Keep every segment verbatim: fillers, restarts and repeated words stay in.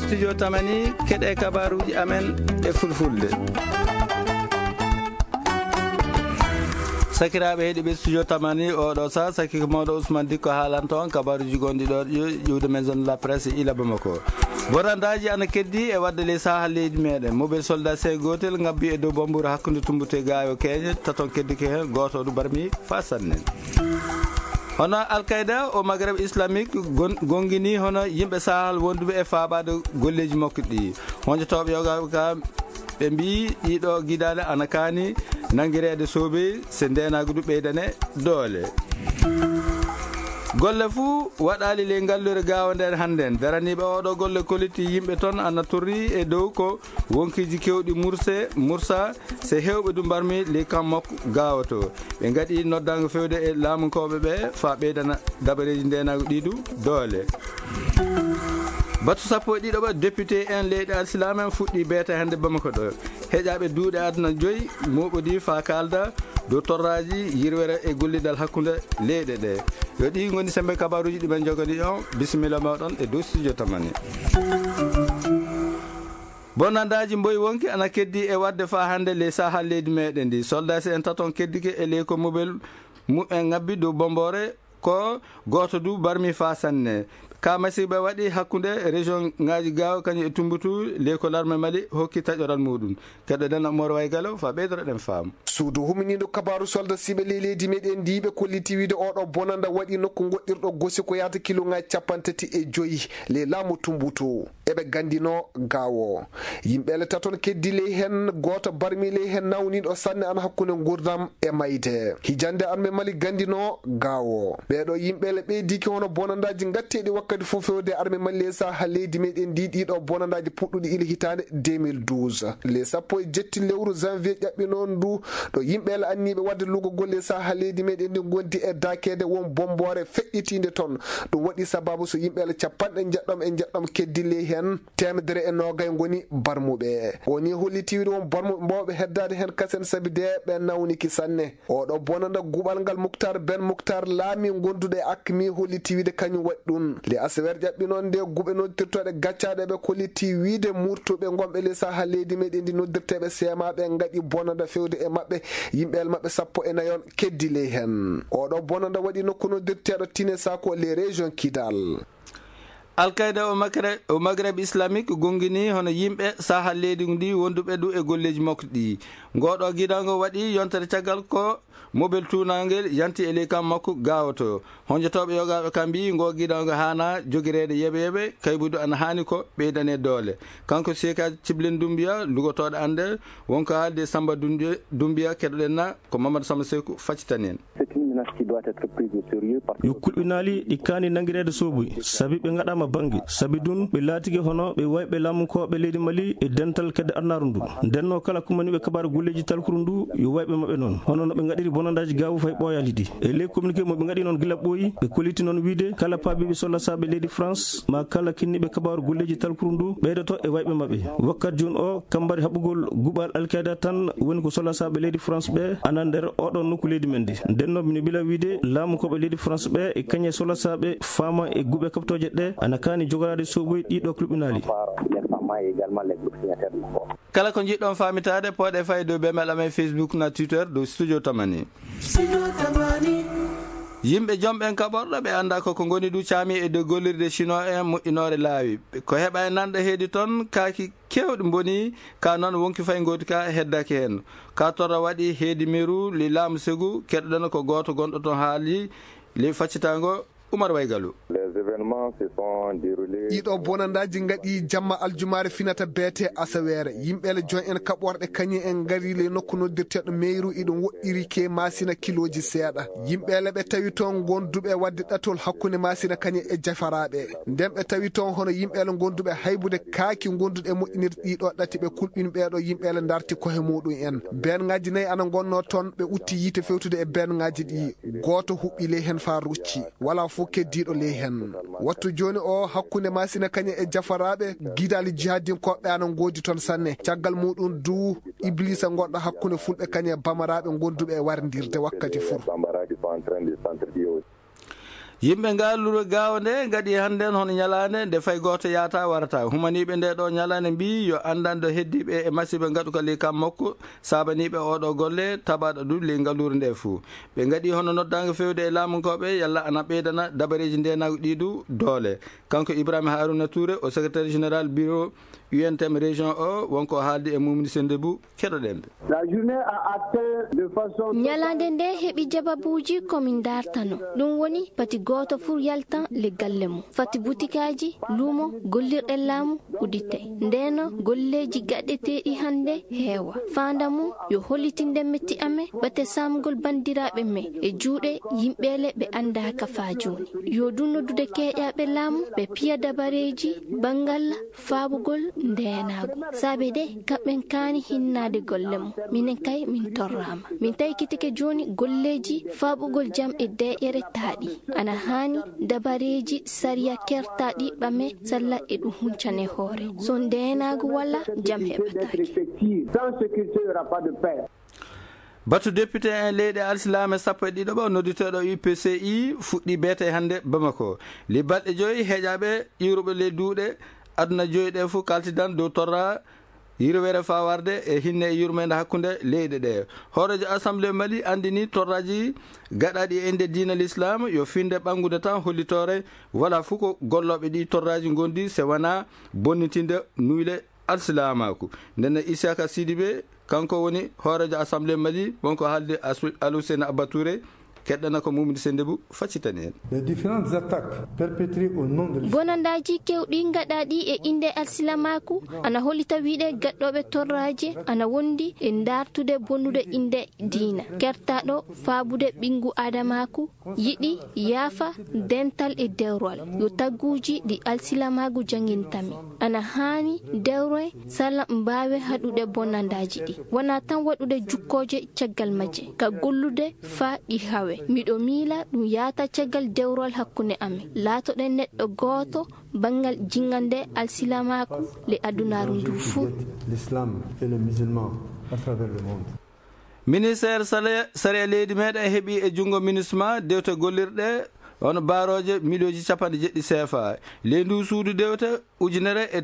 Studio Tamani, keɗe kabaruuji amen e fulfulde. Sakiraaɓe heɗiiɓe Studio Tamani, oɗo sa saki ko mawɗo Ousmane Dikko haalanta on kabaruuji gonɗi ɗo ƴo-, ƴiwde Maison de la Presse ila Bamako. Bonandaaji ana keddi e wadde ley saha leydi meɗen. Mobile soldat C gootel ngabbi e dow Bambuura hakkunde Tumbute Gaayo Keeñe, taton keddike heen, gooto du barmi fa sanne. Hono Al-Qaeda o Maghreb Islamique gon-, gongini hono yimɓe sahal wonduɓe e faabaade golleeji makko ɗi. Honjotooɓe yoga ka ɓe mbi ɗiɗo gidaale ana kaani nangireede soobe se ndeenaagu du ɓeydane doole. Golle fuu waɗaali ley ngallure Gaawo nden hannden. Daraniiɓe oɗo golle kollitii yimɓe ton ana torri e dow ko wonkiiji kewɗi murse, mursa, se hewɓe du mbarmi ley kam makko Gaawo to. Ɓe ngaɗi noddaango fewde e laamunkooɓe ɓe faa ɓeydana dabareeji ndeenaagu ɗi du doole. Batu sappo e ɗiɗo ɓa député en leyɗe alsilaame en fuɗɗi beeta hannde Bamako ɗo. Heƴaaɓe duuɗe aduna joyi mooɓodii faa kaalda dow torraaji yirwere e gollidal hakkunde leyɗe ɗe. Yo ɗi ngoni sembe kabaruuji ɗi men jogani on. Bisimilla mooɗon e dow studio Tamani. Bonandaaji mboyi wonki ana keddi e wadde faa hannde ley sahal leydi meɗen ndi. Soldasi en taton keddike e ley ko mobel mumen ngabbi dow Bomboore, ko gooto du barmi faa sanne. Ka masiiɓe waɗi hakkunde région ŋaaji Gaawo kañum e Tumbutu, ley ko larme Mali hokki taƴoral muɗum. Keɗoɗen Mor Waygalo faa ɓeydoroɗen faamu. Suudu huminiiɗo kabaaru soldasiiɓe ley leydi meɗen ndi ɓe kolliti wiide oɗo bonanda waɗi nokku goɗɗirɗo gosi ko yaata kiloŋaaji capanɗe tati e joyi ley laamu Tumbutu. Eɓe gandino Gaawo. Yimɓe le taton keddi ley hen, gooto barmi ley hen nawniiɗo sanne an hakkunde ngurdam e mayde. Hijande arme Mali gandino Gaawo. Ɓeeɗo yimɓe le ɓeydiki hono bonandaaji gatteeɗi wakkati fof fewde arme Mali ley saha leydi meɗen ndi, ɗiɗo bonandaaji puɗɗuɗi ila hitaande deux mille douze. Le sappo e jetti lewru janvier ƴaɓɓi noon ndu, ɗo yimɓe le anniiɓe wadde lugogol ley saha leydi meɗen ndi gondi e dakeede won Bomboore feƴƴitiinde toon. Ɗum waɗi sababu so yimɓe le capanɗe njeɗɗom e njeɗɗom keddi ley heen, teemedere e noogay ngoni barmuɓe. O ni holliti wiide won barmuɓe mbawɓe heddaade heen kasen sabi de ɓe nawniki sanne. Oɗo bonanda guɓal ngal Muktar Ben Muktar laami gonduɗo e Akmi holliti wiide kañum waɗi ɗum. Le asewer ƴaɓɓi noon nde guɓe noddirtooɗe gaccaaɗe ɓe kolliti wiide murtuɓe gonɓe ley saha leydi meɗen ndi noddirteeɓe seemaaɓe ngaɗi bonanda fewde e maɓɓe, yimɓe el maɓɓe sappo e nayon keddi ley heen. Oɗo bonanda waɗi nokku noddirteeɗo Tine Sako ley région Kidal. Al-Qaeda o Magre-, o Maghreb Islamique gongini hono yimɓe saha leydi ndi wonduɓe du e golleeji makko ɗi. Ngoɗo gidango waɗi yontere caggal ko mobel tuunangel yanti e ley kam makko Gaawo to. Honjotooɓe yogaaɓe kam mbiyi ngo gidango haana jogireede yeɓe yeɓe, kaybudu ana haani ko ɓeydane doole. Kanko Seka Ciblin Dumbiya, lugotooɗo annde, wonko haalde Samba Dumbiya, Dumbiya keɗoɗen na ko Mamadou Samba Seku faccitani en. C'est une menace qui doit être prise au sérieux parce que yo kulɓinaali ɗi kaani nanngireede soobuy, sabi ɓe ngaɗaama bannge, sabi ɗum ɓe laatike hono ɓe wayɓe laamunkooɓe leydi Mali e dental kedde arnaaru ndu. Ndenno kala kumaniiɓe kabaaru golleeji talkuru ndu, yo wayɓe maɓɓe noon, hono no ɓe ngaɗiri bonandaaji Gaawo fay ɓooyaali ɗi. E ley communiqué mo ɓe ngaɗi noon gila ɓooyi, ɓe kolliti noon wiide kala paabiiɓe sollasaaɓe leydi France, maa kala kinniiɓe kabaaru golleeji talkuru ndu, ɓeydoto e wayɓe maɓɓe. Wakkati jooni o, kammbari haɓugol guɓal Al-Qaeda tan woni ko sollasaaɓe leydi France ɓe ana nder oɗon nokku leydi men ndi. Nden noon, mino bila wiide laamunkooɓe leydi France ɓe e kañe sollasaaɓe faama e guɓe kaɓtooje ɗe ana kaani jogoraade sooboy ɗiɗo kulɓinaali. Par les femmes et également les groupes signataires du corps. Kala ko njiɗɗon faamitaade, pooɗe fay dow bemel amen Facebook na Twitter dow Studio Tamani. Yimɓe jom ɓen kaɓorɗo ɓe annda ko ko ngoni du caami e dow gollirde Chinois en moƴƴinoore laawi. Ko heɓa e nanɗo heedi toon kaaki keewɗi mboni, ka noon wonki fay ngooti ka heddaki heen. Ka torra waɗi heedi meru li laamu segu, keɗoɗen ko gooto gonɗo toon haali li faccitango Umar Waygalu. Les événements se sont déroulés. Ɗiɗo bonandaaji ngaɗi jamma aljumaare finata beete asaweere. Yimɓe le jon en kaɓorɗe kañum en ngari le nokku noddirteeɗo meyru iɗum woɗɗiri ke masina kilooji seeɗa. Yimɓe le ɓe tawi toon gonduɓe wadde ɗatol hakkunde masina kañum e jafaraaɓe. Nden ɓe tawi toon hono yimɓe le gonduɓe haybude kaaki gonduɗe moƴƴinirɗi ɗiɗo ɗati ɓe kulɓini ɓeeɗo yimɓe le ndarti kohe muɗum en. Benŋaaji nayi ana ngonno toon ɓe utti yiite fewtude e benŋaaji ɗi. Gooto huɓɓi ley heen faa rucci. Walaa fof keddiiɗo ley heen. Wattu jooni o hakkunde Maasina kañum e jafaraaɓe gidaali jihadinkooɓe ana ngoodi toon sanne. Caggal muɗum du Ibliisa gonɗo hakkunde fulɓe kañum e bamaraaɓe gonduɓe e warndirde wakkati fof. Yimɓe ngal luro gaawo nde ngaɗi hannden hono ñalaande nde fay gooto yaata warata. Humaniiɓe nde ɗo ñalaande mbii yo anndanɗo heddiiɓe e masiiba ngaɗuka ley kam makko, saabaniiɓe oɗo golle, tabaɗo du ley ngaluure nde fuu. Ɓe ngaɗi hono noddaango fewde e laamunkooɓe, yalla ana ɓeydana dabareeji ndeenaagu ɗi du doole. Kanko Ibrahima Haruna Touré, o secrétaire général bureau U N T M région o, wonko haaldi e Mumni Sendebou, keɗoɗen ɓe. La journée a atteint de façon Ñalaande nde heɓi jababuuji ko min dartano. Ɗum woni, pati gooto fuu yaltan le galle mum. Fati butikaaji, luumo, gollirɗe laamu uddite. Ndeno golleeji gaɗeteeɗi hannde heewa. Faanda mum yo hollitinde metti amen, ɓate saamgol banndiraaɓe men e juuɗe yimɓeele ɓe anndaaka faa jooni. Yo ɗum noddude keeƴaaɓe laamu, ɓe piya dabareeji banngal faaɓugol ndeenaagu. Saabe de, kamɓen kaani hinnaade golle mum. Minen kay, min torraama. Min taykitike jooni golleeji faaɓugol jam e deeƴere taaɗi. Ana haani dabareeji sariya kertaaɗi ɓame salla e ɗum huncane hoore. So ndeenaagu wala, jam heɓataake. Sans sécurité, il y aura pas de paix. Batu député en leyɗe alsilaame sappo e ɗiɗo ɓo nodditeeɗo U P C I fuɗɗi beete hannde Bamako. Li balɗe joyi heƴaaɓe iwruɓe ley duuɗe aduna joyi ɗe fuu kaltidan dow torra yirwere faa warde e hinne e yurmeende hakkunde leyɗe ɗe. Hooreejo Assemblée Mali anndini torraaji gaɗaaɗi e innde diina l'islam yo finde ɓanngude tan hollitoore, wala fuu ko gollooɓe ɗi torraaji ngondi se wanaa bonnitinde nuyle alsilaamaaku. Ndenne Isiyaka Sidibe, kanko woni hooreejo Assemblée Mali, wonko haaldi Asu-, Aluseyna Abba Touré, keɗɗana ko Mumni Sendebou faccitani en. Les différentes attaques perpétrées au nom de l'islam. Bonandaaji kewɗi gaɗaaɗi e innde alsilamaaku ana hollita wiide gaɗɗooɓe torraaji ana wondi e dartude bonnude innde diina, kertaaɗo faabude ɓinngu aadamaaku, yiɗi yaafa dental e dewral. Yo tagguuji ɗi alsilamaagu janngintami ana haani dewre sala mbaawe haɗude bonandaaji ɗi. Wonaa tan waɗude jukkooje caggal majje, ka gollude faa ɗi hawe. Miɗo miila ɗum yaata caggal dewral hakkunde amen. Laatoɗen neɗɗo gooto banngal jinnga nde alsilamaaku le adunaaru ndu fuu. L'islam et les musulmans à travers le monde. Ministeer sale-, sariya leydi meɗen heɓi e junngo MINUSMA dewte gollirɗe hono baarooje miliyooji capanɗe jeɗɗi C F A. Ley ndu suudu dewte ujunere e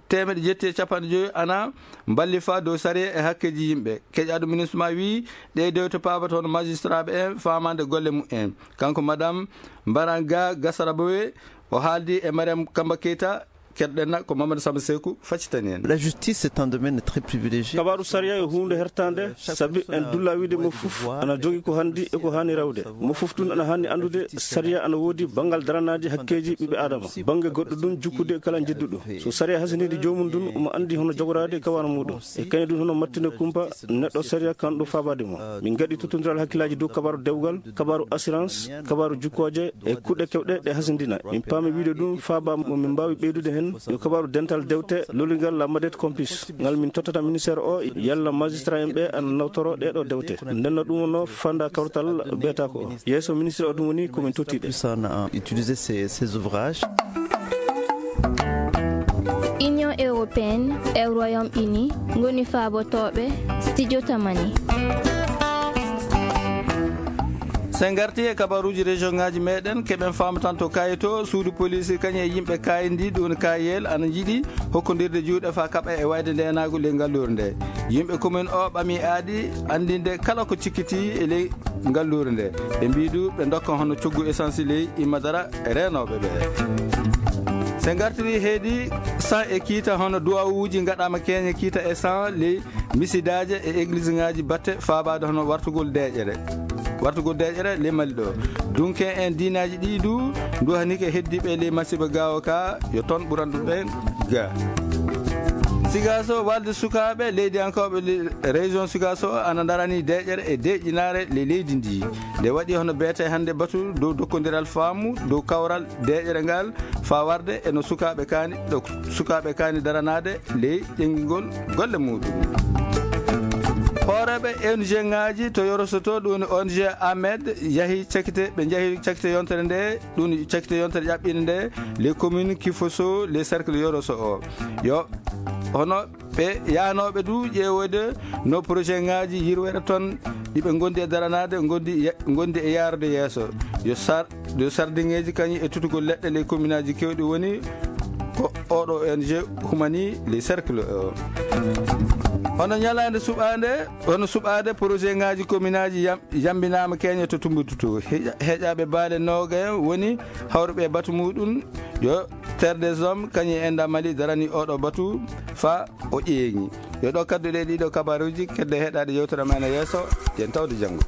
teemeɗe jetti e capanɗe joyi ana mballifaa dow sariya e hakkeeji yimɓe. Keƴaaɗo MINUSMA wii ɗe dewte paabata hono magistraaɓe en faamaande golle mum en. Kanko Madame Mbaranga Gasarabowe, o haaldi e Mariam Kamba Keita, keɗɗen na ko Mamadou Samba Seku faccitani en. La justice est un domaine très privilégié. Kabaaru sariya e huunde hertaande, sabi en dulla wiide mo fof ana jogi ko hanndi e ko haani rewde. Mo fof tun ana haani anndude sariya ana woodi banngal daranaaji hakkeeji ɓiɓɓe Aadama. Bannge goɗɗo ɗum jukkude kala njedduɗo. So sariya hasindii joomum ɗum, omo anndi hono jogoraade kabaaru muɗum. E kañum ɗum hono mattinde kumpa neɗɗo sariya kan ɗo faabaade mo. Min ngaɗi tottondiral hakkillaaji dow kabaaru dewgal, kabaaru assurance, kabaaru jukkooje e kuɗe kewɗe ɗe hasindina. Min paami wiide ɗum faaba mo min mbaawi ɓeydude heen yo kabaaru dental dewte lolingal la Madette Complice ngal min tottata ministère o yalla magistrat en ɓe ana nawtoro ɗee ɗo dewte. Ndenno ɗum wonno fanda kawtal beetaako o. Yeeso ministre o ɗum woni ko min tottiiɓe. Puissant, euh, utiliser ces, ces ouvrages. Union européenne e Royaume-Uni ngoni faabotooɓe Studio Tamani. Sen ngarti e kabaruuji région ŋaaji meɗen, keɓen faama tan to Kayel to, suudu poliisi kañum e yimɓe Kayel ndi, ɗum woni Kayel, ana njiɗi hokkondirde juuɗe faa kaɓa e wayde ndeenaagu ley ngalluure nde. Yimɓe commune o ɓami aadi anndinde kala ko cikkitii e ley ngalluure nde. Ɓe mbii du ɓe ndokka hono coggu essence ley immadara reenooɓe ɓe. Sen ngartiri heedi sang e kiita hono duwawuuji ngaɗaama keeñe kiita e sang ley misidaaje e église ŋaaji batte faabaade hono wartugol deeƴere. Wartugol deeƴere ley Mali ɗo. Dunke en diinaaji ɗi du nduhanike heddiiɓe ley masiiba gaawo ka yo toon ɓuranɗo ɓen ga. Sigaso, walde sukaaɓe leydiyankooɓe le-, région Sigaso ana ndarani deeƴere e deeƴinaare le-, leydi ndi. Nde waɗi hono beete hannde batu dow dokkondiral faamu dow kawral deeƴere ngal faa warde e no sukaaɓe kaani, ɗo sukaaɓe kaani daranaade ley ƴenngingol golle muɗum. Hoore Ɓe O N G ngaji to Yoroso to, ɗum O N G Ahmed yahi cakite, ɓe njahi cakite yontere nde, ɗum cakite yontere ƴaɓɓinde nde, les communes Kifoso, les cercles Yoroso o. Yo, hono ɓe yahanooɓe du ƴeewoyde no projet ngaji yirwere toon ɗi ɓe ngondi e daranaade, ngondi ye-, ngondi e yaarude yeeso. Yo sar-, yo sardiŋeeji kañum e tutugol leɗɗe ley commune aji keewɗi woni ko oɗo O N G humani les cercles o. Hono ñalaande suɓaande, hono suɓaade projet ngaji commune aji yam-, yambinaama keñe to Tumbutu to. Heƴa-, heƴaaɓe baale nooga en woni hawruɓe e batu muɗum, yo Terre des Hommes, kañum e Enda Mali darani oɗo batu fa o ƴeeŋi. Yo ɗo kadduɗe ɗiɗo kabaruji, kedde heɗaade yewtere men e yeeso, yen tawde janngo.